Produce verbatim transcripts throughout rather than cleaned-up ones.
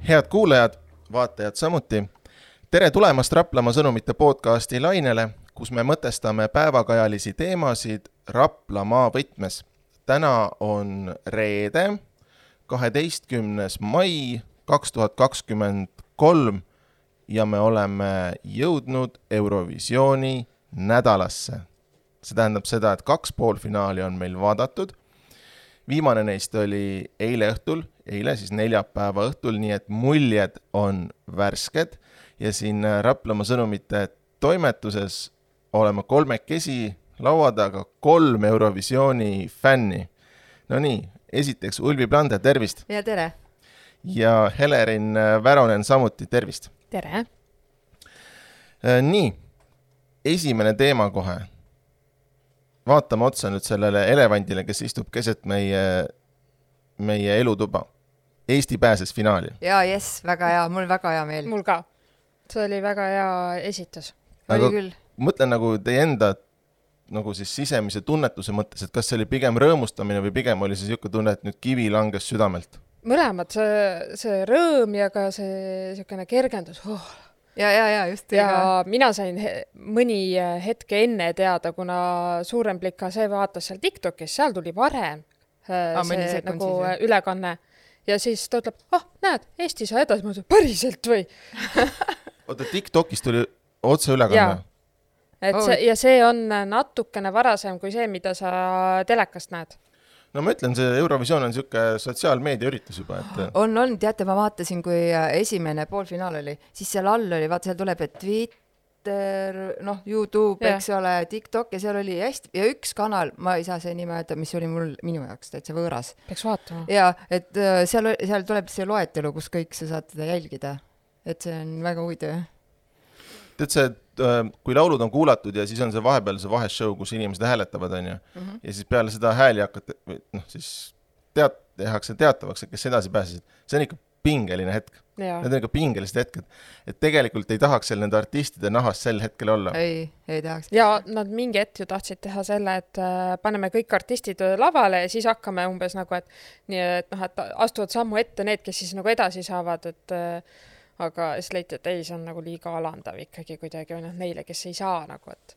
Head kuulajad, vaatajad samuti. Tere tulemast Raplamaa sõnumite podcasti lainele, kus me mõtestame päevakajalisi teemasid Raplamaa võtmes. Täna on reede, kaheteistkümnes mai kaks tuhat kakskümmend kolm ja me oleme jõudnud Eurovisiooni nädalasse. See tähendab seda, et kaks poolfinaali on meil vaadatud. Viimane neist oli eile õhtul, eile siis neljapäeva õhtul, nii et muljed on värsked ja siin Raplamaa sõnumite toimetuses oleme kolmekesi laua taga kolm Eurovisiooni fänni. No nii, esiteks Ulvi Plande, tervist! Ja tere! Ja Helerin Väronen samuti, tervist! Tere! Nii, esimene teema kohe. Vaatame otsa nüüd sellele elevandile, kes istub keset meie, meie elutuba. Eesti pääses finaali. Jaa, jes, väga hea, mul väga hea meel. Mul ka. See oli väga hea esitus. Oli küll. Mõtlen nagu teie enda nagu siis sisemise tunnetuse mõttes, et kas see oli pigem rõõmustamine või pigem oli see siuke tunne, et nüüd kivi langes südamelt? Mõlemad, see, see rõõm ja ka see siukene kergendus. Oh. Ja, ja, ja, just. Ja ega. Mina sain he- mõni hetke enne teada, kuna Suurem Plika see vaatas seal TikTokis, seal tuli varem ah, see nagu siis, ülekanne. Ja siis ta ütleb, ah, näed, Eesti saa edasi, ma ütlen, päriselt või? Oota, TikTokis tuli otse ülekanne? Et see, ja see on natukene varasem kui see, mida sa telekast näed. No ma ütlen, see Eurovisioon on siuke sotsiaalmeedia üritus juba. Et... On, on, teate, ma vaatasin, kui esimene poolfinaal oli, siis seal all oli, vaata, seal tuleb, et Twitter, noh, YouTube, ja. Eks ole, TikTok ja seal oli hästi, ja üks kanal, ma ei saa see nime öelda, mis oli mul, minu jaoks täitsa võõras. Peaks vaatama. Ja, et seal, seal tuleb see loetelu, kus kõik sa saad teda jälgida. Et see on väga huvitav. Tead see, kui laulud on kuulatud ja siis on see vahepeal see vaheshow, kus inimesed hääletavad, on ju. Mm-hmm. Ja siis peale seda hääli hakata, noh, siis teat, tehakse teatavaks, et kes edasi pääsesid. See on ikka pingeline hetk. Ja. Need on ikka pingelised hetked. Et tegelikult ei tahaks seal nende artistide nahas sel hetkel olla. Ei, ei tahaks. Ja nad mingi hetk ju tahtsid teha selle, et äh, paneme kõik artistid lavale ja siis hakkame umbes nagu, et, nii, et, noh, et astuvad sammu ette need, kes siis nagu edasi saavad, et äh, aga siis leiti, et ei, see on nagu liiga alandav ikkagi kuidagi või noh, neile, kes ei saa nagu, et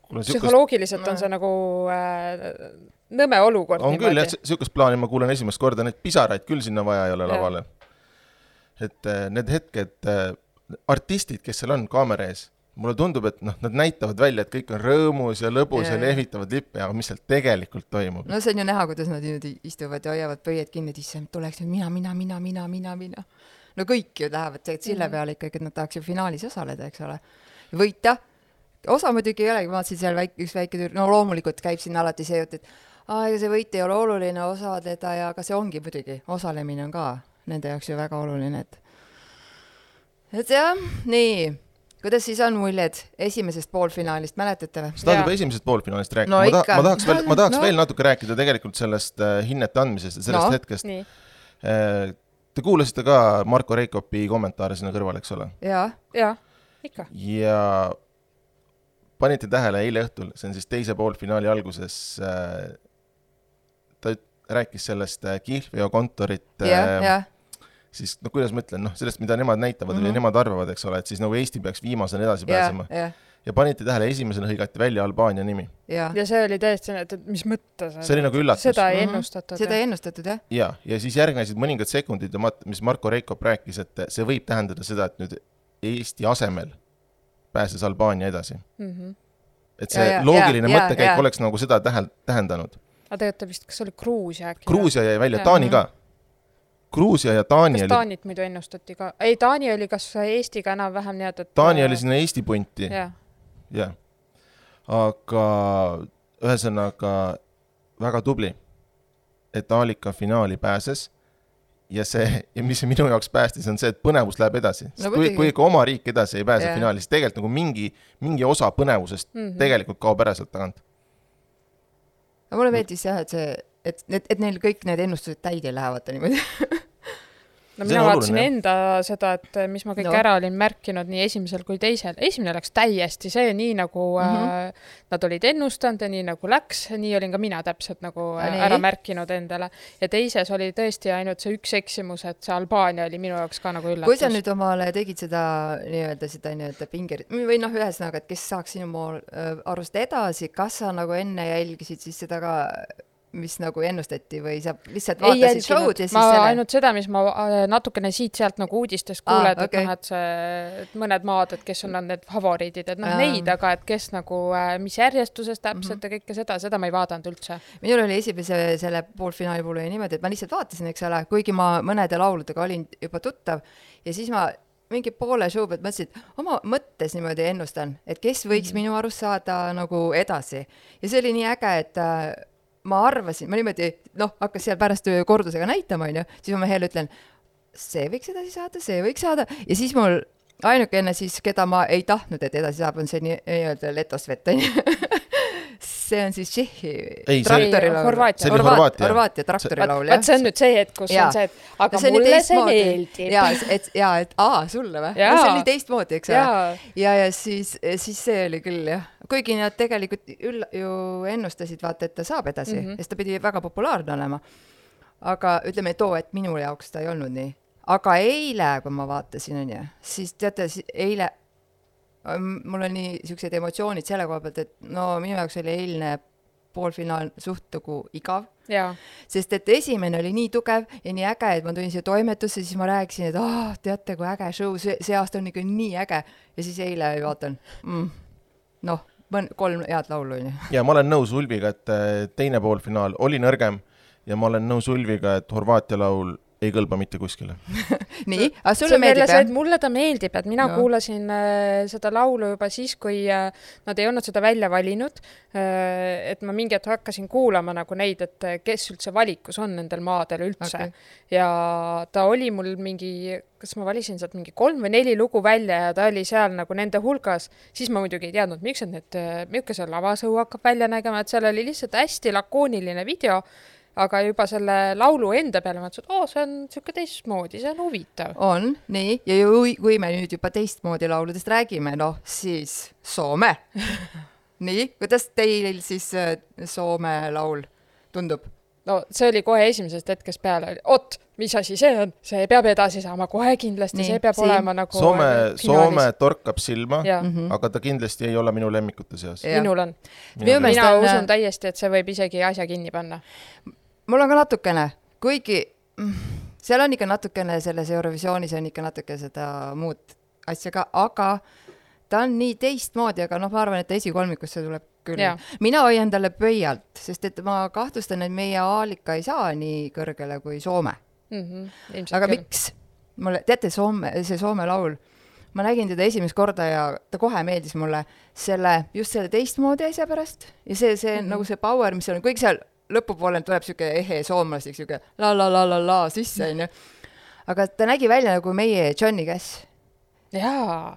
Kuule, psühholoogiliselt sükust... on see nagu äh, nõme olukord. On küll, jah, sükust plaani ma kuulen esimest korda, need pisaraid küll sinna vaja ei ole lavale. Et äh, need hetked, äh, artistid, kes seal on kaamera ees, mulle tundub, et noh, nad näitavad välja, et kõik on rõõmus ja lõbus ja, ja lehvitavad lippe, aga mis seal tegelikult toimub? No see on ju näha, kuidas nad istuvad ja hoiavad pöied kinni, et issand, tuleks mina, mina, mina, mina, mina, mina. No kõik ju lähevad sille peale ikkagi, et nad tahaks ju finaalis osaleda, eks ole. Võita. Osa muidugi ei olegi, ma vaatasin seal väik, üks väike tüür, no loomulikult käib siin alati see jutt, et aega see võit ei ole oluline osadeda ja ka see ongi muidugi, osalemine on ka nende jaoks ju väga oluline. Et, et jah, nii, kuidas siis on muljed esimesest poolfinaalist, mäletate või? Sa tahad juba esimesest poolfinaalist rääkida? No, ma, ta, ma tahaks, veel, ma tahaks no. veel natuke rääkida tegelikult sellest uh, hinnete andmisest ja sellest no. hetkest. Uh, Te kuulasite ka Marko Reikopi kommentaare sinna kõrval, eks ole? Jaa, jaa, ikka. Ja panite tähele eile õhtul, see on siis teise poolfinaali alguses, äh, ta rääkis sellest äh, Kihlveo kontorit, yeah, äh, yeah. siis, no kuidas ma ütlen, noh, sellest, mida nemad näitavad mm-hmm. või nemad arvavad, eks ole, et siis nagu Eesti peaks viimasena edasi yeah, pääsema. Yeah. Ja panite tähele, esimesena hõigati välja Albaania nimi. Ja, ja see oli täiesti, et mis mõtte see? See oli nagu üllatus. Seda ei ennustatud. Mm-hmm. Seda ei ennustatud, jah. Ja, ja siis järgnesid mõningad sekundid, mis Marko Reikop rääkis, et see võib tähendada seda, et nüüd Eesti asemel pääses Albaania edasi. Mm-hmm. Et see ja, ja, loogiline ja, mõttekäik ja, ja. Oleks nagu seda tähel, tähendanud. Aga tegelikult vist, kas oli Gruusia äkki? Gruusia jäi välja, ja. Taani ka. Gruusia ja Taani kas oli... Taanit muidu ennustati ka? Ei, Taani oli kas Eestiga enam vähem nii, et... Taani oli sinna Eesti punti. Ja. Ja. Aga ühesõnaga väga tubli, et Aalika finaali pääses ja see, ja mis minu jaoks päästis, on see, et põnevus läheb edasi. No, kui, kui ikka oma riik edasi ei pääse yeah. finaali, siis tegelikult nagu mingi, mingi osa põnevusest mm-hmm. tegelikult kaob ära sealt tagant. No, mulle meeldis jah, et, see, et, et, et neil kõik need ennustused täide lähevad niimoodi. no mina vaatasin enda seda, et mis ma kõik no. ära olin märkinud nii esimesel kui teisel. Esimene läks täiesti see, nii nagu mm-hmm. äh, nad olid ennustanud ja nii nagu läks, nii olin ka mina täpselt nagu äh, ära märkinud endale. Ja teises oli tõesti ainult see üks eksimus, et see Albaania oli minu jaoks ka nagu üllatus. Kui sa nüüd omale tegid seda nii-öelda seda nii-öelda pingerit, või noh, ühesõnaga, et kes saaks sinu mool äh, arust edasi, kas sa nagu enne jälgisid siis seda ka mis nagu ennustati või sa lihtsalt vaatasid show'd ja siis ma selle... ainult seda, mis ma natukene siit-sealt nagu uudistest kuuled, ah, okay. et, noh, et, see, et mõned maad, et kes on need favoriidid, et noh, ah. neid, aga et kes nagu, mis järjestuses täpselt mm-hmm. ja kõike seda, seda ma ei vaadanud üldse. Minul oli esimese selle poolfinaali puhul niimoodi, et ma lihtsalt vaatasin, eks ole, kuigi ma mõnede lauludega olin juba tuttav ja siis ma mingi poole show pealt mõtlesin, et oma mõttes niimoodi ennustan, et kes võiks mm-hmm. minu arust saada nagu edasi. Ja see oli nii äge, et ma arvasin, ma niimoodi, noh, hakkas seal pärast kordusega näitama, on ju, siis ma mehele ütlen, see võiks edasi saada, see võiks saada, ja siis mul ainukene siis, keda ma ei tahtnud, et edasi saab, on see nii-öelda Letosvet, on ju. See on siis Tšehhi traktorilaul. Horvaatia. Horvaatia, Horvaatia traktorilaul, jah. Vaat see on nüüd see hetk, kus ja. On see, et aga no, see mulle see meeldib. Ja, et, ja, et aa, sulle või? No, see oli teistmoodi, eks ole. Ja, ja, ja siis, siis see oli küll, jah. Kuigi nad tegelikult üll, ju ennustasid, vaata, et ta saab edasi, mm-hmm. sest ta pidi väga populaarne olema. Aga ütleme too, et minu jaoks ta ei olnud nii. Aga eile, kui ma vaatasin, on ju, siis teate, eile mul on nii siuksed emotsioonid selle koha pealt, et no minu jaoks oli eilne poolfinaal suht nagu igav. Ja. Sest et esimene oli nii tugev ja nii äge, et ma tulin siia toimetusse, siis ma rääkisin, et oh, teate, kui äge show, see, see aasta on ikka nii äge. Ja siis eile vaatan, mm, noh, kolm head laulu. Ja ma olen nõus Ulviga, et teine poolfinaal oli nõrgem ja ma olen nõus Ulviga, et Horvaatia laul ei kõlba mitte kuskile. Nii, aga sulle meeldib, jah? Mulle ta meeldib, et mina no. kuulasin äh, seda laulu juba siis, kui äh, nad ei olnud seda välja valinud, äh, et ma mingi hetk hakkasin kuulama nagu neid, et kes üldse valikus on nendel maadel üldse. Okay. Ja ta oli mul mingi, kas ma valisin sealt mingi kolm või neli lugu välja ja ta oli seal nagu nende hulgas, siis ma muidugi ei teadnud, miks on need, milline see lavasõu hakkab välja nägema, et seal oli lihtsalt hästi lakooniline video, aga juba selle laulu enda peale mõtlesin, et oo, see on siuke teistmoodi, see on huvitav. On, nii, ja ju, kui me nüüd juba teistmoodi lauludest räägime, noh, siis Soome. Nii, kuidas teil siis Soome laul tundub? No see oli kohe esimesest hetkest peale, oot, mis asi see on? See peab edasi saama kohe kindlasti, nii, see peab siin. Olema nagu Soome, Soome torkab silma, mm-hmm. aga ta kindlasti ei ole minu lemmikute seas. Ja. Minul on. Minu mina on... usun täiesti, et see võib isegi asja kinni panna. Mul on ka natukene, kuigi seal on ikka natukene selles Eurovisioonis on ikka natuke seda muud asja ka, aga ta on nii teistmoodi, aga noh, ma arvan, et esikolmikusse tuleb küll. Ja. Mina hoian talle pöialt, sest et ma kahtlustan, et meie Aalika ei saa nii kõrgele kui Soome. Mm-hmm, aga küll. Miks? Mulle, teate, Soome, see Soome laul, ma nägin teda esimest korda ja ta kohe meeldis mulle selle, just selle teistmoodi asja pärast ja see, see mm-hmm. nagu see power, mis on kõik seal lõpupoole tuleb siuke ehe soomlastik, siuke la la la la la sisse, on ju. Aga ta nägi välja nagu meie Johnny Cash. Jaa.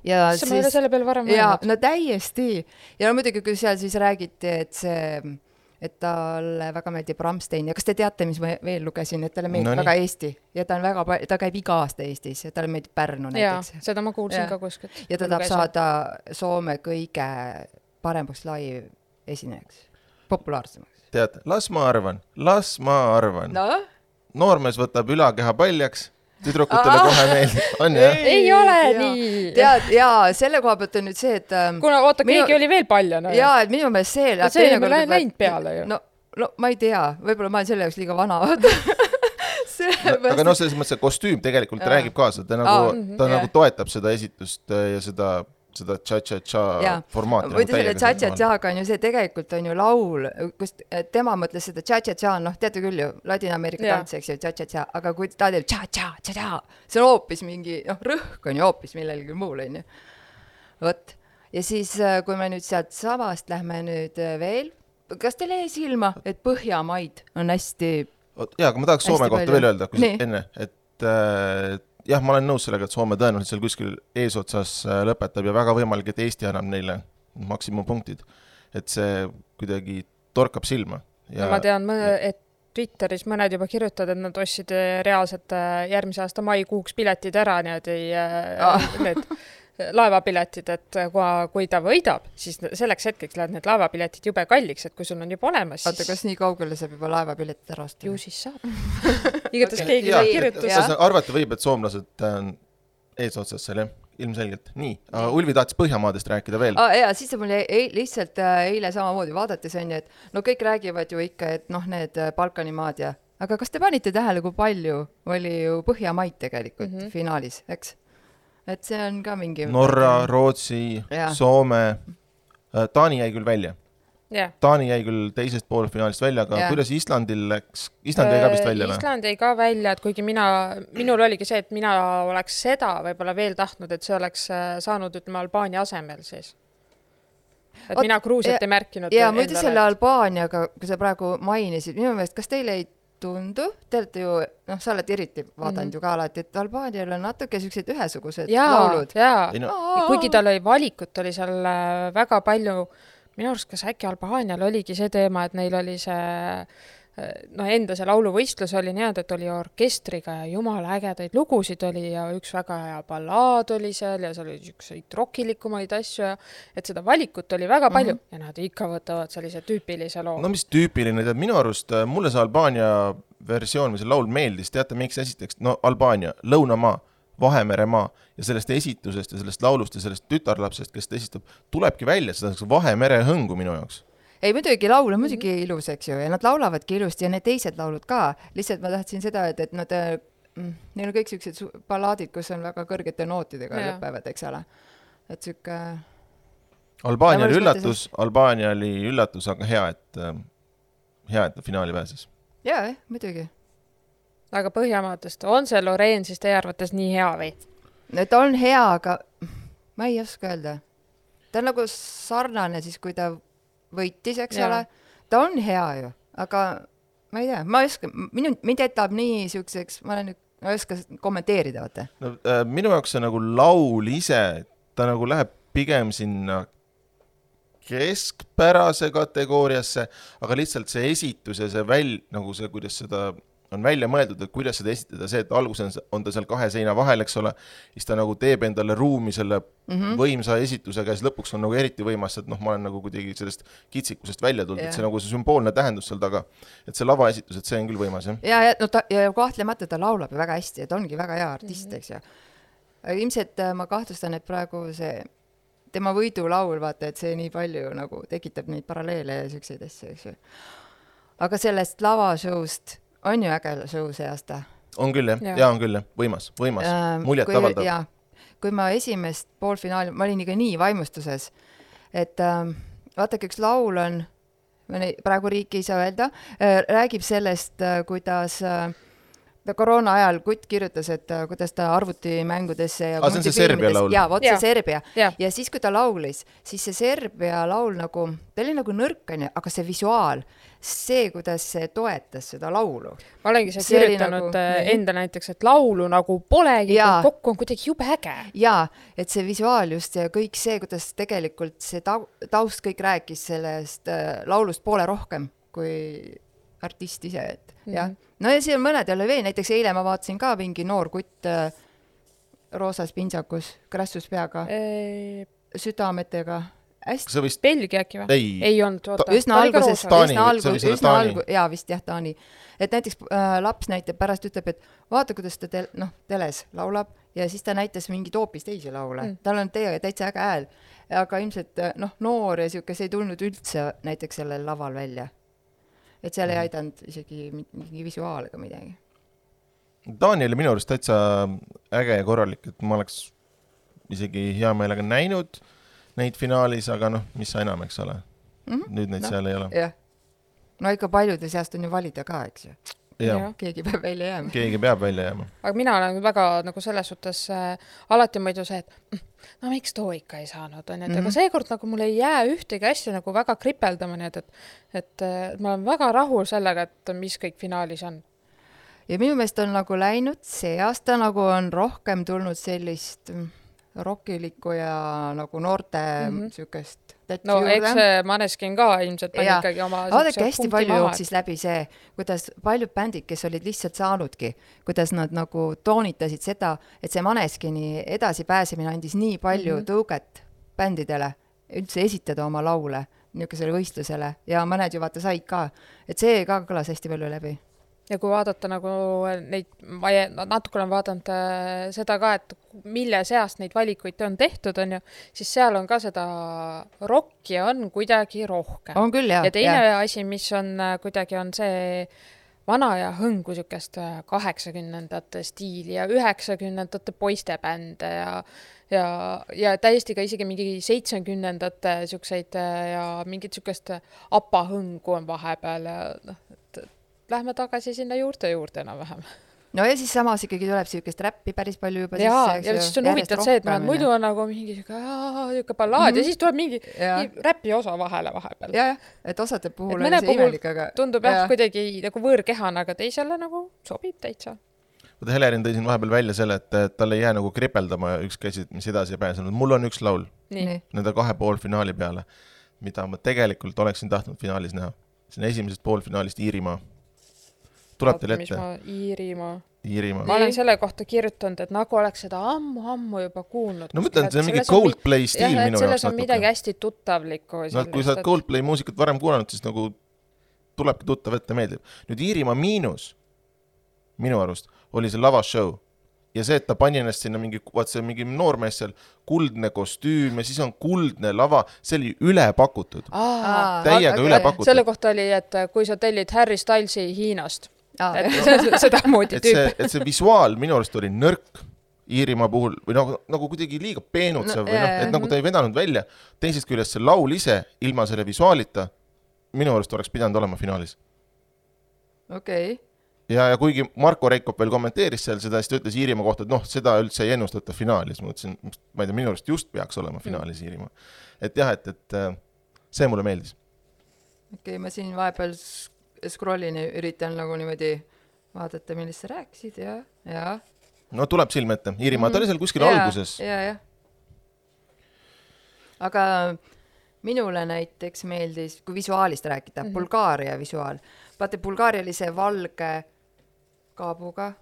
Ja see siis, ma ei ole selle peal varem mõelnud. Jaa, no täiesti. Ja no muidugi, kui seal siis räägiti, et see, et talle väga meeldib Rammstein. Ja kas te teate, mis ma veel lugesin, et talle meeldib no, väga Eesti. Ja ta on väga, ta käib iga aasta Eestis ja talle meeldib Pärnu näiteks. Jaa, seda ma kuulsin ja. Ka kuskilt. Ja ta tahab saada Soome kõige paremaks live esinejaks. Populaarsemaks. Tead, las ma arvan, las ma arvan. No? Noormees võtab ülakeha paljaks, tüdrukutele kohe meeldib. On, jah? Ei ole ja. Nii. Tead, jaa, selle koha pealt on nüüd see, et... Kuna, oota, minu... keegi oli veel paljana. Jaa, et minu meelest see... No see ei ole näinud peale ju. No, no, ma ei tea, võib-olla ma olen selle jaoks liiga vana. no, aga no selles mõttes, see kostüüm tegelikult ja. Räägib kaasa, ta, nagu, Aa, ta ja. Nagu toetab seda esitust ja seda... seda tša-tša-tša formaati. Võidu selle tša-tša-tša-ga on ju see tegelikult on ju laul, kus tema mõtles seda tša-tša-tša, noh, teate küll ju, Ladina-Ameerika tants, eks ju, tša-tša-tša, aga kui ta teeb tša-tša-tša-tša, see on hoopis mingi, noh, rõhk on ju hoopis millelgi muul, on ju. Võt. Ja siis, kui me nüüd sealt samast lähme nüüd veel, kas teil ei silma, et Põhjamaid on hästi... Jaa, aga ma tahaks Soome kohta palju. Veel öelda, kui enne, et äh, jah, ma olen nõus sellega, et Soome tõenäoliselt seal kuskil eesotsas lõpetab ja väga võimalik, et Eesti annab neile maksimumpunktid. Et see kuidagi torkab silma. Ja... No ma tean, et Twitteris mõned juba kirjutavad, et nad ostsid reaalselt järgmise aasta maikuuks piletid ära, niimoodi ah. need laevapiletid, et kui ta võidab, siis selleks hetkeks lähevad need laevapiletid jube kalliks, et kui sul on juba olemas, siis... Oota, kas nii kaugele saab juba laevapiletid ära osta? Ju siis saab. Igatas okay. keegi sai kirjutus. Arvata võib, et soomlased eesotsas seal, jah? Ilmselgelt. Nii, aga Ulvi tahtis Põhjamaadest rääkida veel. Ah, jaa, siis mul ei, lihtsalt eile samamoodi vaadates on ju, et no kõik räägivad ju ikka, et noh, need Balkanimaad ja... Aga kas te panite tähele, kui palju oli ju Põhjamaid tegelikult mm -hmm. finaalis, eks? Et see on ka mingi... Norra, Rootsi, ja. Soome, Taani jäi küll välja. Yeah. Taani jäi küll teisest poolfinaalist välja, aga yeah. kuidas Islandil läks? Island jäi ka vist välja? Island jäi ka välja, et kuigi mina, minul oligi see, et mina oleks seda võib-olla veel tahtnud, et see oleks saanud, ütleme, Albaania asemel siis. Et Ot, mina Gruusiat ei märkinud. Ja muidu selle Albaaniaga, kui sa praegu mainisid, minu meelest, kas teile ei tundu, te olete ju, noh, sa oled eriti vaadanud mm-hmm. ju ka alati, et Albaanial on natuke sellised ühesugused jaa, laulud. Jaa, jaa. Kuigi tal oli valikut, oli seal väga palju, minu arust kas äkki Albaanial oligi see teema, et neil oli see, no enda see lauluvõistlus oli nii, et oli orkestriga ja jumala ägedaid lugusid oli ja üks väga hea ballaad oli seal ja seal oli ükseid rokilikumaid asju ja et seda valikut oli väga palju mm-hmm. ja nad ikka võtavad sellise tüüpilise loo. No mis tüüpiline, tead, minu arust mulle see Albaania versioon või see laul meeldis, teate, miks esiteks, no Albaania, Lõunamaa, Vahemeremaa ja sellest esitusest ja sellest laulust ja sellest tütarlapsest, kes ta esitab, tulebki välja seda Vahemere hõngu minu jaoks. Ei, muidugi laul on muidugi ilus, eks ju, ja nad laulavadki ilusti ja need teised laulud ka. Lihtsalt ma tahtsin seda, et, et nad, neil on kõik sellised ballaadid, kus on väga kõrgete nootidega ja. Lõpevad, eks ole. Et süke... Albaania oli üllatus, see... Albaania oli üllatus, aga hea, et, hea, et finaali pääses. Jaa, eh, muidugi. Aga Põhjamaadest, on see Loreen siis teie arvates nii hea või? No, ta on hea, aga ma ei oska öelda. Ta on nagu sarnane siis, kui ta võitis, eks ja. Ole. Ta on hea ju, aga ma ei tea, ma ei oska, minu, mind jätab nii siukseks, ma olen, ma ei oska kommenteerida, vaata. No, äh, minu jaoks see nagu laul ise, ta nagu läheb pigem sinna keskpärase kategooriasse, aga lihtsalt see esitus ja see väl, nagu see, kuidas seda on välja mõeldud, et kuidas seda esitada, see, et alguses on ta seal kahe seina vahel, eks ole, siis ta nagu teeb endale ruumi selle mm-hmm. võimsa esitusega ja siis lõpuks on nagu eriti võimas, et noh, ma olen nagu kuidagi sellest kitsikusest välja tulnud, yeah. et see nagu see sümboolne tähendus seal taga, et see lava esitus, et see on küll võimas, jah? Ja, ja, no ta, ja kahtlemata ta laulab väga hästi, et ongi väga hea artist, eks ju. Ilmselt ma kahtlustan, et praegu see tema võidulaul, vaata, et see nii palju nagu tekitab neid paralleele ja selliseid asju, eks ju. Aga sellest lavashowst on ju äge show see aasta. On küll, jah. Ja. ja on küll, jah. Võimas, võimas. Ähm, muljet avaldab. Ja, kui ma esimest poolfinaali, ma olin ikka nii vaimustuses, et ähm, vaatake, üks laul on, praegu riiki ei saa öelda, äh, räägib sellest, äh, kuidas äh, koroona ajal Kutt kirjutas, et uh, kuidas ta arvutimängudesse ja ah, see on see Serbia laul. Ja, vot see ja. Serbia. Ja. ja siis, kui ta laulis, siis see Serbia laul nagu, ta oli nagu nõrkane, aga see visuaal, see, kuidas see toetas seda laulu. Ma olengi see, see kirjutanud nagu, enda näiteks, et laulu nagu polegi, kokku on kuidagi jube äge. Jaa, et see visuaal just ja kõik see, kuidas tegelikult see taust kõik rääkis sellest uh, laulust poole rohkem kui artist ise, et mm-hmm. jah. No ja siin on mõned jälle veel, näiteks eile ma vaatasin ka mingi noor kutt äh, roosas pintsakus, krassus peaga, e... südametega. Hästi. See vist... Belgia äkki või? Ei, ei olnud, oota. Üsna alguses, Taani, üsna algu, üsna algu, jaa, vist jah, Taani. Et näiteks äh, laps näitab, pärast ütleb, et vaata, kuidas ta tel, no, teles laulab ja siis ta näitas mingi toopis teisi laule. Mm. Tal on tee, täitsa äge hääl, aga ilmselt noh, noor ja siuke, see ei tulnud üldse näiteks sellel laval välja. Et seal ei aidanud isegi mingi visuaal ega midagi. Taani oli minu arust täitsa äge ja korralik, et ma oleks isegi hea meelega näinud neid finaalis, aga noh, mis sa enam, eks ole. Mm-hmm. Nüüd neid no, seal ei ole. Jah. No ikka paljude seast on ju valida ka, eks ju. Ja. Keegi peab välja jääma. Keegi peab välja jääma. Aga mina olen väga nagu selles suhtes äh, alati muidu see, et no miks too ikka ei saanud, on, et mm-hmm. aga seekord nagu mul ei jää ühtegi asja nagu väga kripeldama, nii et, et, et, et ma olen väga rahul sellega, et mis kõik finaalis on. Ja minu meelest on nagu läinud see aasta nagu on rohkem tulnud sellist rokilikku ja nagu noorte mm -hmm. siukest no juurde. Eks see Maneskin ka ilmselt pani ja. Ikkagi oma vaadake, hästi palju maha. Jooksis läbi see, kuidas paljud bändid, kes olid lihtsalt saanudki, kuidas nad nagu toonitasid seda, et see Maneskini edasipääsemine andis nii palju mm -hmm. tõuget bändidele üldse esitada oma laule niisugusele võistlusele ja mõned ju vaata said ka, et see ka kõlas hästi palju läbi. Ja kui vaadata nagu neid, ma natuke olen vaadanud äh, seda ka, et mille seast neid valikuid on tehtud, on ju, siis seal on ka seda rocki on kuidagi rohkem. On küll, jah. Ja teine ja. asi, mis on äh, kuidagi on see vana ja hõngu siukest kaheksakümnendate stiili ja üheksakümnendate poistebände ja, ja, ja täiesti ka isegi mingi seitsmekümnendate siukseid ja mingit siukest apahõngu on vahepeal ja noh, lähme tagasi sinna juurte juurde enam-vähem. No ja siis samas ikkagi tuleb siukest räppi päris palju juba ja, sisse. Ja siis on huvitav see, et ma, muidu on nagu mingi siuke ballaad mm -hmm. ja siis tuleb mingi ja. räpi osa vahele vahepeal. Ja, et osade puhul on see imelik, aga... tundub jah ja. Kuidagi nagu võõrkehana, aga teisele nagu sobib täitsa. Võta Helerin tõi siin vahepeal välja selle, et tal ei jää nagu kripeldama üks käsi, mis edasi ei pääsenud. Mul on üks laul Nii. Nende kahe poolfinaali peale, mida ma tegelikult oleksin tahtnud finaalis näha. See on esimesest poolfinaalist Iirimaa. Tuleb teil ette? Iirimaa. Iirimaa. Ma olen selle kohta kirjutanud, et nagu oleks seda ammu-ammu juba kuulnud. No mõtlen, et see on mingi Coldplay stiil minu jaoks. Selles on midagi hästi tuttavlikku. No, kui sa oled Coldplay muusikat varem kuulanud, siis nagu tulebki tuttav ette meeldib. Nüüd Iirimaa miinus, minu arust, oli see lavashow. Ja see, et ta pani ennast sinna mingi, vaat see mingi noormees seal, kuldne kostüüm ja siis on kuldne lava, see oli üle pakutud. Aa, täiega okay. üle pakutud. Selle kohta oli, et kui sa tellid Harry Stylesi Hiinast, Aa, et see, seda moodi tüüp. Et see, et see visuaal minu arust oli nõrk Iirimaa puhul või nagu, nagu kuidagi liiga peenutsev no, või noh, et nagu ta ei vedanud välja. Teisest küljest see laul ise ilma selle visuaalita minu arust oleks pidanud olema finaalis. Okei. Okay. Ja, ja kuigi Marko Reikop veel kommenteeris seal seda, siis ta ütles Iirimaa kohta, et noh, seda üldse ei ennustata finaalis. Ma ütlesin, ma ei tea, minu arust just peaks olema finaalis Iirimaa. Et jah, et, et see mulle meeldis. Okei, okay, ma siin vahepeal scrollin ja üritan nagu niimoodi vaadata, millest sa rääkisid ja, ja. No tuleb silme ette. Iirimaa, mm-hmm. ta oli seal kuskil ja, alguses. Ja, ja. Aga minule näiteks meeldis, kui visuaalist rääkida, mm-hmm. Bulgaaria visuaal. Vaata, Bulgaaria oli see valge kaabuga.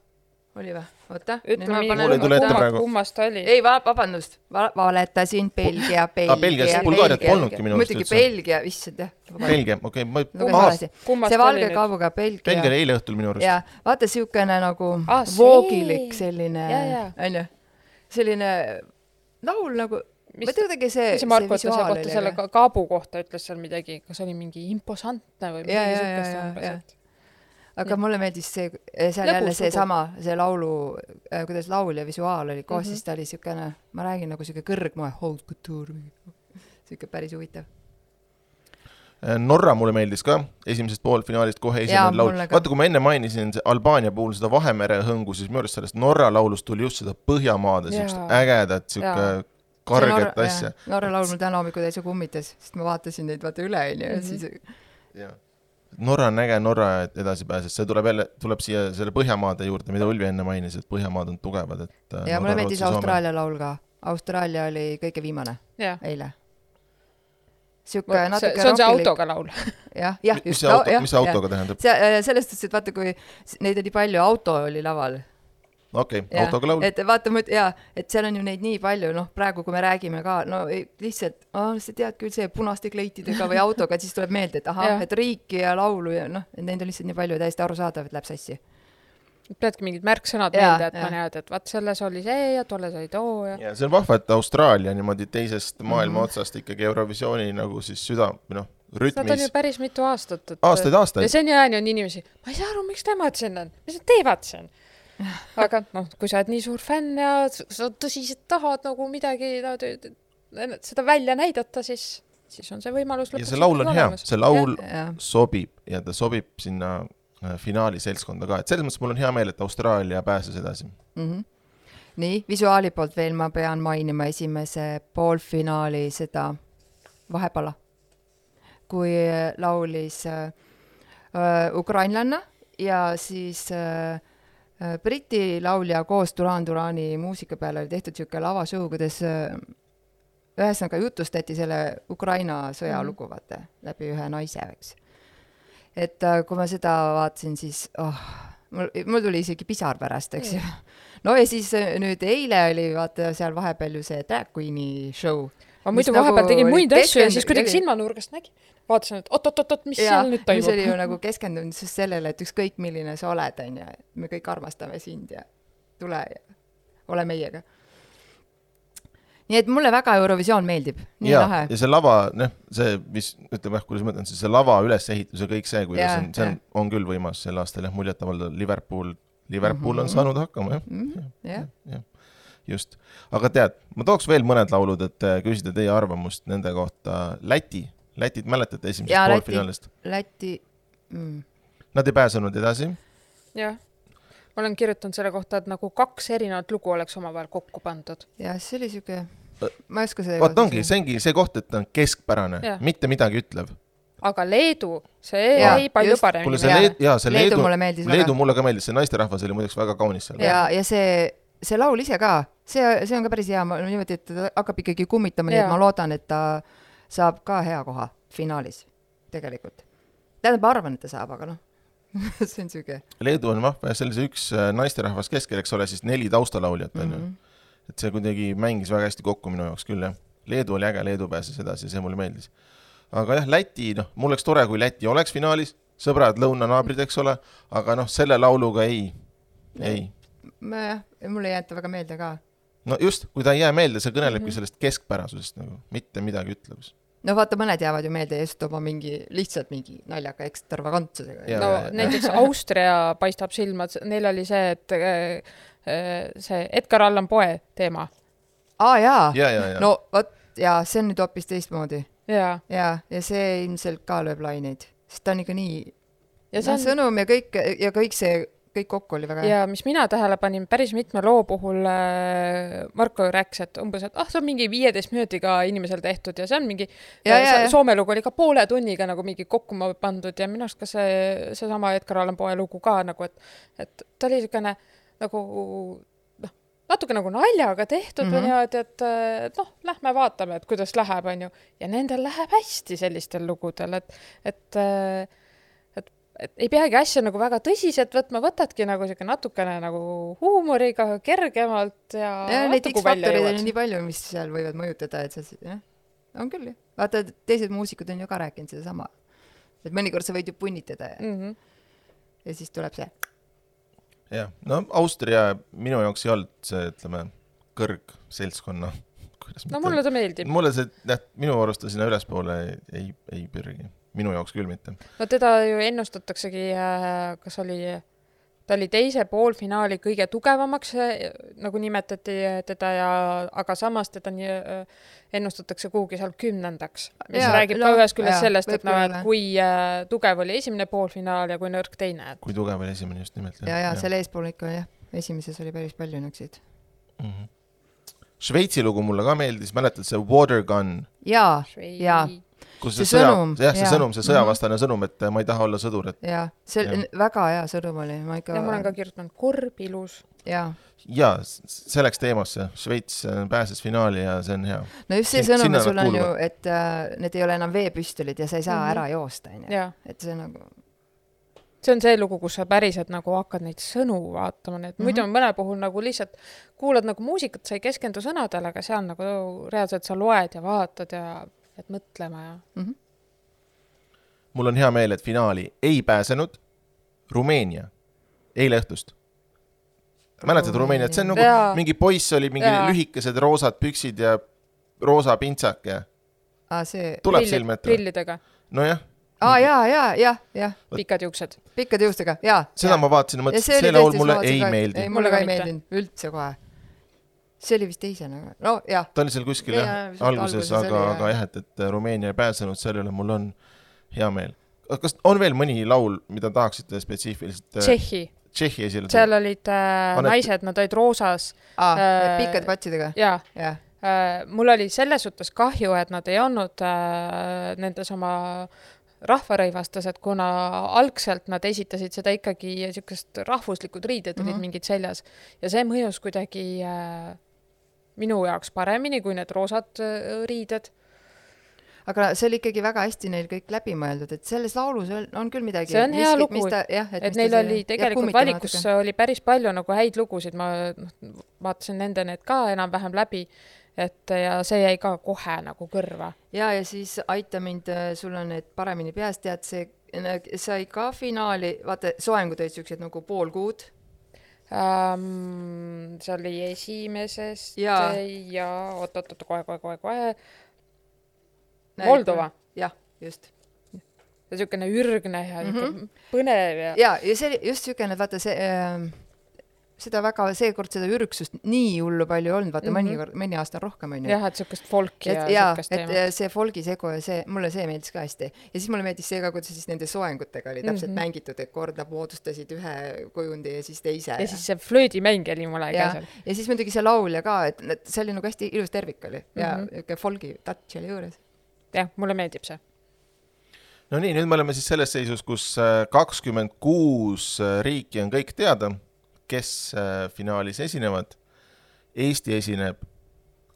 Oli või? Oota. Ütle mingi, kummast oli. Ei, vabandust. Va- valetasin Belgia, Belgia. Ah, Belgia, Bulgaariat polnudki minu mõtlegi Belgia, vissad, jah. Belgia, okei. Okay, see valge kaabuga Belgia. Belgia oli eile õhtul minu arust. Ja, vaata siukene nagu ah, voogilik selline, on ju, selline laul nagu, mis, ma teadagi see, see visuaal oli. Selle kaabu kohta ütles seal midagi, kas oli mingi imposantne või ja, midagi sukest umbes. Aga ja. Mulle meeldis see, seal jälle see sama, see laulu, äh, kuidas laul ja visuaal oli koos, mm-hmm. siis ta oli siukene, ma räägin nagu siuke kõrgmoe, hold couture, siuke päris huvitav. Norra mulle meeldis ka, esimesest poolfinaalist kohe esimene laul. Vaata, kui ma enne mainisin Albaania puhul seda Vahemere hõngu, siis minu arust sellest Norra laulust tuli just seda Põhjamaade, siukest ägedat, siuke karget Norra, asja. Norra laul mul täna hommikul täitsa kummitas, sest ma vaatasin neid vaata üle, ja mm-hmm. siis... Ja. Norra on äge, Norra edasi pääses. See tuleb, jälle, tuleb siia selle Põhjamaade juurde, mida Ulvi enne mainis, et Põhjamaad on tugevad. Et ja mulle meeldis Austraalia laul ka. Austraalia oli kõige viimane ja. Eile. Siuke natuke see, see on see autoga laul. jah, jah, mis see, auto, mis see autoga tähendab? See, sellest, et vaata, kui neid oli palju, auto oli laval. Okei, okay, autoga laul. Et vaata, ja, et seal on ju neid nii palju, noh, praegu kui me räägime ka, no lihtsalt, oh, sa tead küll see punaste kleitidega või autoga, et siis tuleb meelde, et aha, et riiki ja laulu ja noh, et neid on lihtsalt nii palju täiesti arusaadav, et läheb sassi. Peadki mingid märksõnad ja, meelde, et ja. Ma näed, et vaat selles oli see ja tolles oli too ja... ja see on vahva, et Austraalia niimoodi teisest maailma mm-hmm. otsast ikkagi Eurovisiooni nagu siis süda, noh, rütmis. Nad on ju päris mitu aastat. Et... Aastaid, aastaid. Ja sen jääni on inimesi, ma ei saa aru, miks nemad siin on, mis nad teevad siin. Aga noh, kui sa oled nii suur fänn ja sa tõsiselt tahad nagu midagi no, seda välja näidata, siis, siis on see võimalus ja see laul on hea, see laul ja, ja. sobib ja ta sobib sinna finaali seltskonda ka, et selles mõttes mul on hea meel, et Austraalia pääses edasi. Mm-hmm. Nii, visuaali poolt veel ma pean mainima esimese poolfinaali seda Vahepala, kui laulis äh, ukrainlanna ja siis äh, Briti laulja koos Duran Durani muusika peale oli tehtud siuke lavashow, kuidas ühesõnaga jutustati selle Ukraina sõja mm. lugu, vaata, läbi ühe naise, eks. Et kui ma seda vaatasin, siis oh, mul, mul tuli isegi pisar pärast, eks ju. No ja siis nüüd eile oli, vaata, seal vahepeal ju see Drag Queeni show. Ma muidu vahepeal nagu tegin muid asju ja siis kuidagi silmanurgast nägi. Vaatasin, et oot-oot-oot, mis ja, seal nüüd toimub. Mis oli ju nagu keskendunud sellele, et ükskõik milline sa oled, on ja me kõik armastame sind ja tule ja ole meiega. Nii et mulle väga Eurovisioon meeldib. Nii ja, lahe. Ja see lava, noh, see, mis ütleme, kuidas ma mõtlen, see lava ülesehitus ja kõik see, kuidas ja, on, see on, on küll võimas sel aastal, jah, muljetavalda Liverpool, Liverpool mm-hmm. on saanud hakkama, jah. Mm-hmm. Ja, ja, ja. Just. Aga tead, ma tooks veel mõned laulud, et küsida teie arvamust nende kohta. Läti, Lätit mäletate esimesest poolfinaalist? Läti, mm. Nad ei pääsenud edasi? Jah. Ma olen kirjutanud selle kohta, et nagu kaks erinevat lugu oleks omavahel kokku pandud. Ja see oli siuke, ma ei oska see... Vaat ongi, see ongi see koht, et on keskpärane, ja. Mitte midagi ütlev. Aga Leedu, see ja, ei palju paremini. Kuule, see Leedu, ja, see Leedu, Leedu mulle meeldis Leedu väga. Mulle ka meeldis, see naisterahvas oli muideks väga kaunis seal. Ja, ja see, see laul ise ka, see, see on ka päris hea, ma niimoodi, et ta hakkab ikkagi kummitama, nii et ma loodan, et ta saab ka hea koha finaalis tegelikult. Tähendab, ma arvan, et ta saab, aga noh. see on süge. Leedu on vahva ja sellise üks naisterahvas keskel, eks ole, siis neli taustalauljat on mm-hmm. ju. Et see kuidagi mängis väga hästi kokku minu jaoks küll, jah. Leedu oli äge, Leedu pääses edasi, see mulle meeldis. Aga jah, Läti, noh, mul oleks tore, kui Läti oleks finaalis, sõbrad, lõunanaabrid, eks ole, aga noh, selle lauluga ei, ei. Ma, jah, mulle ei jäeta väga meelde ka. No just, kui ta ei jää meelde, see kõnelebki mm-hmm. sellest keskpärasusest, nagu, mitte midagi ütlevus. No vaata, mõned jäävad ju meelde just oma mingi, lihtsalt mingi naljaka ekstravagantsusega. No ja, näiteks ja. Austria paistab silma, neil oli see, et see Edgar Allan Poe teema. Aa, jaa. Ja, ja, ja. No, võt, ja see on nüüd hoopis teistmoodi. Ja. Ja, ja see ilmselt ka lööb laineid. Sest ta on ikka nii ja see on... sõnum ja kõik, ja kõik see kõik kokku oli väga hea. Ja mis mina tähele panin päris mitme loo puhul äh, Marko rääkis, et umbes, et ah, see on mingi viieteist minutiga inimesel tehtud ja see on mingi ja, ja, ja. Soome lugu oli ka poole tunniga nagu mingi kokku pandud ja minu arust ka see, see sama Edgar Allan Poe lugu ka nagu, et, et ta oli selline nagu noh, natuke nagu naljaga tehtud mm-hmm. ja, et, et, et noh, lähme vaatame, et kuidas läheb, on ju. Ja nendel läheb hästi sellistel lugudel, et, et et ei peagi asja nagu väga tõsiselt võtma, võtadki nagu siuke natukene nagu huumoriga, kergemalt ja, ja neid X-faktorid on nii palju, mis seal võivad mõjutada, et see, jah, on küll. Vaata, teised muusikud on ju ka rääkinud seda sama. Et mõnikord sa võid ju punnitada ja, mm-hmm. ja siis tuleb see. Jah, no Austria minu jaoks ei olnud see, ütleme, kõrg seltskonna. No mulle ta meeldib. Mulle see, jah, minu arust sinna ülespoole ei, ei pürgi. Minu jaoks küll mitte. No teda ju ennustataksegi, kas oli, ta oli teise poolfinaali kõige tugevamaks, nagu nimetati teda, ja, aga samas teda nii, ennustatakse kuhugi seal kümnendaks. Mis ja, räägib no, ka ühes külles sellest, et, no, et kui tugev oli esimene poolfinaal ja kui nõrk teine. Kui tugev oli esimene just nimelt. Ja, ja, ja selle eespool ikka, jah, esimeses oli päris palju nõksid. Mm-hmm. Šveitsi lugu mulle ka meeldis, mäletad see Water Gun? Jaa, jaa. Kus see, see sõja, sõnum. Jah, see ja. sõnum, see sõjavastane mm-hmm. sõnum, et ma ei taha olla sõdur. Et... Jaa, see ja. väga hea sõnum oli. Ma, ikka... ja, ma olen ka kirjutanud korbilus. Jaa. Ja, selleks teemasse. Šveits pääses finaali ja see on hea. No just see Sin, sõnum sul on ju, et uh, need ei ole enam veepüstolid ja sa ei saa mm-hmm. ära joosta. Ja. Et see nagu... See on see lugu, kus sa päriselt nagu hakkad neid sõnu vaatama. Need. Muidu on mõne puhul nagu lihtsalt kuulad nagu muusikat, sa ei keskendu sõnadele, aga seal nagu reaalselt sa loed ja vaatad ja et mõtlema ja... Mm-hmm. Mul on hea meel, et finaali ei pääsenud Rumeenia eile õhtust. Mäletad Rumeenia, et see on nagu ja. mingi poiss oli, mingi ja. lühikesed roosad püksid ja roosa pintsak ja ah, see... tuleb Prilli, silme ette. Prillidega. No jah. Aa, jaa, jaa, jaa, jaa. Pikad juuksed. Pikad juustega, jaa. Seda ja. ma vaatasin ja mõtlesin, et see laul mulle ei ka, meeldi. Ei, mulle ka ei meeldinud, üldse kohe. See oli vist teisena. No, jah. Ta oli seal kuskil, jah, jah alguses, aga, oli, aga jah, et, et Rumeenia ei pääsenud, selle üle mul on hea meel. Kas on veel mõni laul, mida tahaksite spetsiifiliselt? Tšehhi. Tšehhi esile. Seal olid äh, Anet... naised, nad olid roosas. Ah, äh, pikkad patsidega. Jaa. Ja. Äh, mul oli selles suhtes kahju, et nad ei olnud äh, nendes oma rahvarõivastased, kuna algselt nad esitasid seda ikkagi niisugust rahvuslikud riided olid mm -hmm. mingid seljas ja see mõjus kuidagi äh, minu jaoks paremini kui need roosad äh, riided. Aga see oli ikkagi väga hästi neil kõik läbi mõeldud, et selles laulus on küll midagi. See on hea miski, lugu, ta, jah, et, et neil see, oli tegelikult valikus natuke. Oli päris palju nagu häid lugusid, ma vaatasin nende need ka enam-vähem läbi, et ja see jäi ka kohe nagu kõrva. Ja, ja siis aita mind, sul on need paremini peast, tead, see sai ka finaali, vaata, soengud olid siuksed nagu pool kuud. Um, see oli esimesest ja, ja oot, oot, oot, kohe, kohe, kohe, kohe. Moldova. Jah, just. Ja siukene ürgne ja mm -hmm. põnev. Ja, ja, ja see oli just siukene, vaata see, äh, seda väga, seekord seda ürgsust nii hullu palju olnud, vaata mm -hmm. mõni, mõni aasta rohkem on ju. Jah, et siukest folki et, ja siukest teemat. Ja, et see folgi segu ja see, mulle see meeldis ka hästi. Ja siis mulle meeldis see ka, kuidas siis nende soengutega oli täpselt mm -hmm. mängitud, et kord nad moodustasid ühe kujundi ja siis teise. Ja, ja siis see flöödimäng oli mulle ja, ka seal. Ja siis muidugi see laulja ka, et, et see oli nagu hästi ilus tervik oli ja mm -hmm. folgi touch oli juures. Jah, mulle meeldib see. No nii, nüüd me oleme siis selles seisus, kus kakskümmend kuus riiki on kõik teada, kes finaalis esinevad. Eesti esineb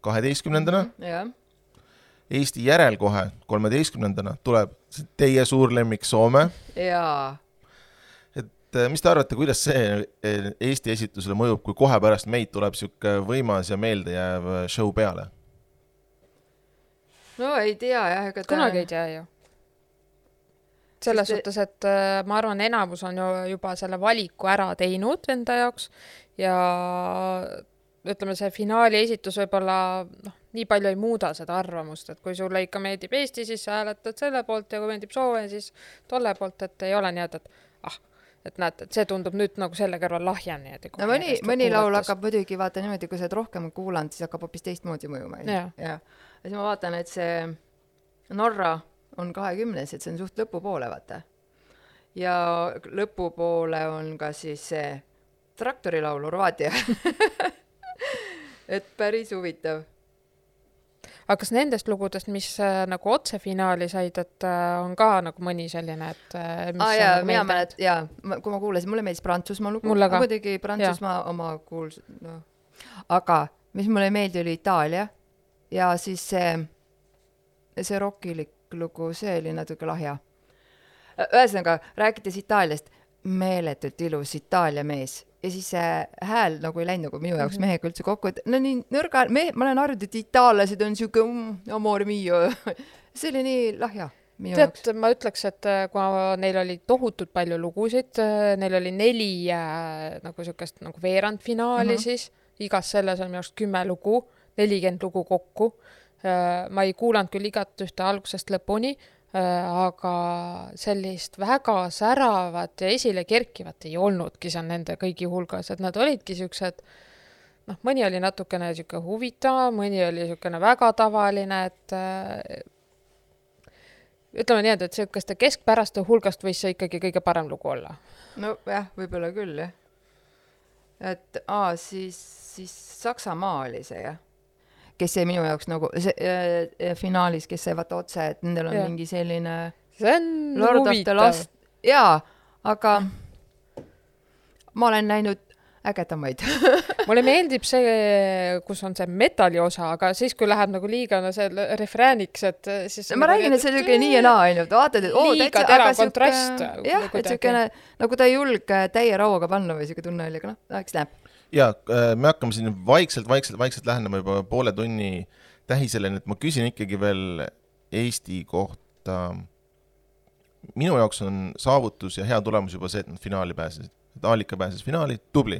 kaheteistkümnendana. Mm -hmm, ja. Eesti järel kohe kolmeteistkümnendana tuleb teie suur lemmik Soome. Jaa. Et mis te arvate, kuidas see Eesti esitusele mõjub, kui kohe pärast meid tuleb siuke võimas ja meeldejääv show peale? No ei tea jah, ega ta... kunagi ei tea ju. Selles Sest suhtes, et äh, ma arvan, enamus on ju juba selle valiku ära teinud enda jaoks ja ütleme, see finaali esitus võib-olla noh, nii palju ei muuda seda arvamust, et kui sulle ikka meeldib Eesti, siis sa hääletad selle poolt ja kui meeldib Soome, siis tolle poolt, et ei ole nii, et, et ah, et näed, et see tundub nüüd nagu selle kõrval lahjan. Nii, no mõni, mõni laul hakkab muidugi vaata niimoodi, kui sa oled rohkem kuulanud, siis hakkab hoopis teistmoodi mõjuma. Ja. Ja. ja siis ma vaatan, et see Norra on kahekümnes, et see on suht lõpupoole, vaata. Ja lõpupoole on ka siis see traktorilaul Horvaatia. et päris huvitav. Aga kas nendest lugudest, mis äh, nagu otse finaali said, et äh, on ka nagu mõni selline, et äh, mis ah, jaa, nagu mina mälet, jaa, kui ma kuulasin, mulle meeldis Prantsusmaa lugu. Mulle ka. Muidugi Prantsusmaa ja. Oma kuuls... No. Aga mis mulle meeldi oli Itaalia ja siis see, see rockilik lugu, see oli natuke lahja. Ühesõnaga, rääkides Itaaliast, meeletult ilus Itaalia mees. Ja siis see hääl nagu ei läinud nagu minu jaoks mm -hmm. mehega üldse kokku, et no nii nõrga, me, ma olen arvanud, et itaallased on siuke mm, amore mio. see oli nii lahja minu Tead, jaoks. Ma ütleks, et kui neil oli tohutult palju lugusid, neil oli neli äh, nagu siukest nagu veerandfinaali mm -hmm. siis, igas selles on minu jaoks kümme lugu, nelikümmend lugu kokku. Ma ei kuulanud küll igat ühte algusest lõpuni, aga sellist väga säravat ja esile kerkivat ei olnudki seal nende kõigi hulgas, et nad olidki siuksed, noh, mõni oli natukene siuke huvitav, mõni oli siukene väga tavaline, et ütleme nii, et siukeste keskpäraste hulgast võis see ikkagi kõige parem lugu olla. No jah, võib-olla küll, jah. Et aa, siis, siis Saksamaa oli see, jah. Kes see minu jaoks nagu see, äh, finaalis, kes see vaata otse, et nendel on ja. Mingi selline see on Lord huvitav. Last... Jaa, aga ma olen näinud ägedamaid. Mulle meeldib see, kus on see metali osa, aga siis, kui läheb nagu liiga no see refrääniks, et siis... Ma räägin, et see on nii ja naa ainult. Vaatad, et oo, liiga terav kontrast. Jah, et siukene, nagu ta ei julge täie rauaga panna või siuke tunne oli, aga noh, eks näeb. Ja me hakkame siin vaikselt, vaikselt, vaikselt lähenema juba poole tunni tähisele, et ma küsin ikkagi veel Eesti kohta. Minu jaoks on saavutus ja hea tulemus juba see, et nad finaali pääsesid. Et Aalika pääses finaali, tubli.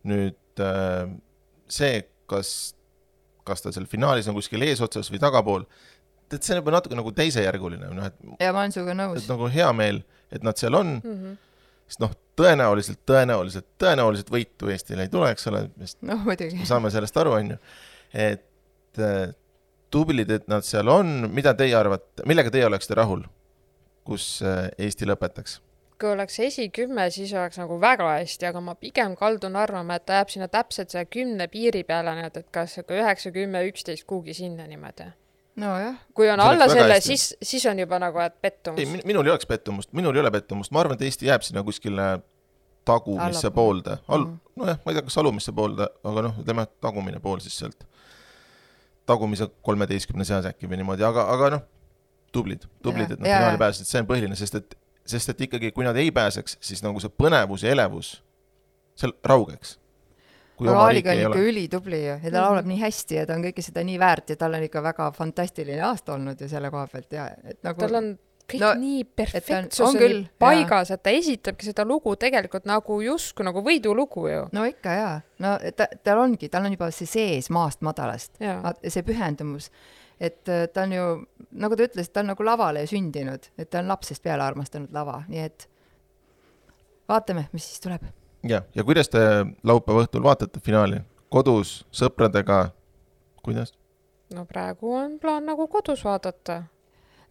Nüüd see, kas, kas ta seal finaalis on kuskil eesotsas või tagapool, et see on juba natuke nagu teisejärguline. No, et, ja ma olen suga nõus. Et nagu hea meel, et nad seal on. Mm -hmm. Sest noh, tõenäoliselt, tõenäoliselt, tõenäoliselt võitu Eestile ei tule, eks ole, no, muidugi. Saame sellest aru, on ju. Et tublid, et nad seal on, mida teie arvate, millega teie oleksite rahul, kus Eesti lõpetaks? Kui oleks esikümme, siis oleks nagu väga hästi, aga ma pigem kaldun arvama, et ta jääb sinna täpselt see kümne piiri peale, et kas üheksa, kümme, üksteist kuugi sinna niimoodi. nojah. kui on alla selle, siis, siis on juba nagu, et pettumus. Ei, minul ei oleks pettumust, minul ei ole pettumust. Ma arvan, et Eesti jääb sinna kuskile tagumisse Alla. poolde. Al- mm. Nojah, ma ei tea, kas alumisse poolde, aga noh, ütleme tagumine pool siis sealt. Tagumise kolmeteistkümne seas äkki või niimoodi, aga, aga noh, tublid, tublid, ja, et nad finaali pääsesid, see on põhiline, sest et, sest et ikkagi, kui nad ei pääseks, siis nagu see põnevus ja elevus seal raugeks. aga Aaliga on ikka ülitubli ja ta laulab mm-hmm. nii hästi ja ta on kõike seda nii väärt ja tal on ikka väga fantastiline aasta olnud ja selle koha pealt ja et nagu tal on kõik no, nii perfektsuseni paigas, et ta esitabki seda lugu tegelikult nagu justkui nagu võidulugu ju. no ikka jaa, no ta, tal ongi, tal on juba see sees maast madalast, see pühendumus, et ta on ju, nagu ta ütles, ta on nagu lavale sündinud, et ta on lapsest peale armastanud lava, nii et vaatame, mis siis tuleb. Ja, ja kuidas te laupäeva õhtul vaatate finaali? Kodus, sõpradega, kuidas? No praegu on plaan nagu kodus vaadata.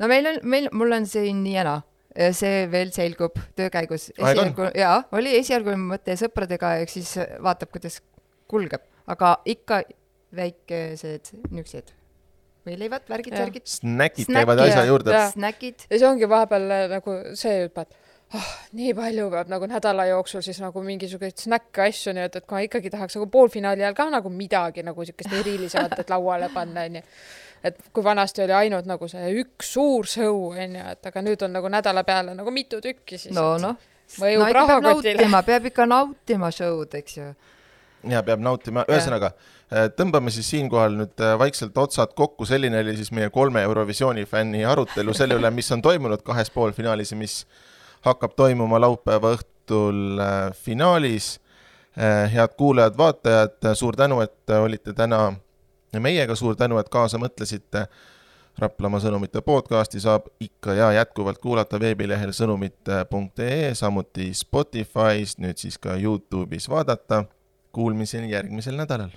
No meil on, meil, mul on siin nii jana. See veel selgub töökäigus. Esialgu, jaa, oli esialgu mõte sõpradega, ehk siis vaatab, kuidas kulgeb. Aga ikka väikesed nüksed. Võileivad, värgid, ja. värgid. Snäkid käivad asja juurde. Snäkid. Ja see ongi vahepeal nagu see juba, et oh, nii palju peab nagu nädala jooksul siis nagu mingisugust snäkke asju, nii et, et kui ikkagi tahaks nagu poolfinaali ajal ka nagu midagi nagu siukest erilisemat, et lauale panna, nii. Et kui vanasti oli ainult nagu see üks suur sõu, nii, et aga nüüd on nagu nädala peale nagu mitu tükki siis. No, no. Mõjub no, rahakotile. Peab, peab ikka nautima show'd, eks ju. Ja, peab nautima. Ühesõnaga, tõmbame siis siinkohal nüüd vaikselt otsad kokku. Selline oli siis meie kolme Eurovisiooni fänni arutelu selle üle, mis on toimunud kahes poolfinaalis ja mis hakkab toimuma laupäeva õhtul finaalis. Head kuulajad, vaatajad, suur tänu, et olite täna meiega, suur tänu, et kaasa mõtlesite. Raplamaa sõnumite podcasti saab ikka ja jätkuvalt kuulata veebilehel sõnumite punkt ee, samuti Spotify's, nüüd siis ka YouTube'is vaadata. Kuulmiseni järgmisel nädalal.